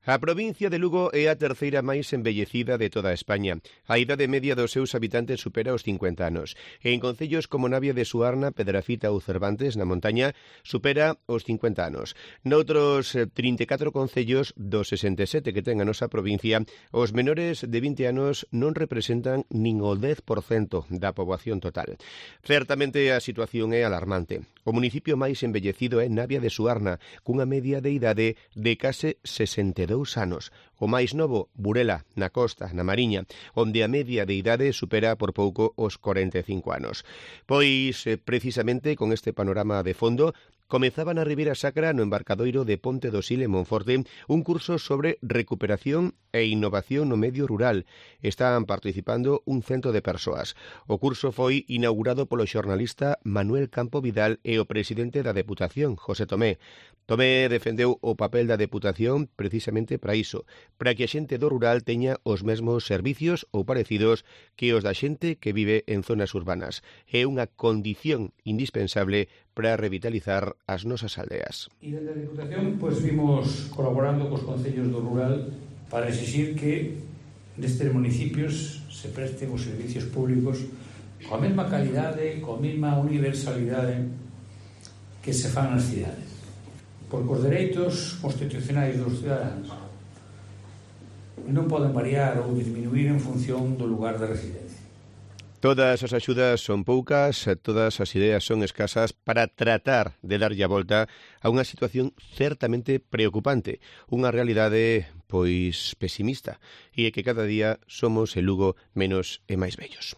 A provincia de Lugo é a terceira máis envellecida de toda España. A idade media dos seus habitantes supera os 50 anos. E en concellos como Navia de Suarna, Pedrafita ou Cervantes, na montaña, supera os 50 anos. Noutros 34 concellos dos 67 que ten a nosa provincia, os menores de 20 anos non representan nin o 10% da poboación total. Certamente a situación é alarmante. O municipio máis envellecido é Navia de Suarna, cunha media de idade de case 62 anos. O máis novo, Burela, na Costa, na Mariña, onde a media de idade supera por pouco os 45 anos. Pois, precisamente, con este panorama de fondo, comezaba na Ribeira Sacra, no embarcadoiro de Ponte do Sil en Monforte, un curso sobre recuperación e innovación no medio rural. Están participando un cento de persoas. O curso foi inaugurado polo xornalista Manuel Campo Vidal e o presidente da Deputación, José Tomé. Tomé defendeu o papel da Deputación precisamente para iso, para que a xente do rural teña os mesmos servicios ou parecidos que os da xente que vive en zonas urbanas. É unha condición indispensable para revitalizar as nosas aldeas. E dende a Deputación, pois, vimos colaborando cos concellos do rural para exixir que nestes municipios se presten os servicios públicos coa mesma calidade, coa mesma universalidade que se fan nas cidades. Porque os dereitos constitucionais dos cidadáns non poden variar ou disminuir en función do lugar de residencia. Todas as axudas son poucas, todas as ideas son escasas para tratar de darlle a volta a unha situación certamente preocupante, unha realidade, pois, pesimista, e é que cada día somos en Lugo menos e máis vellos.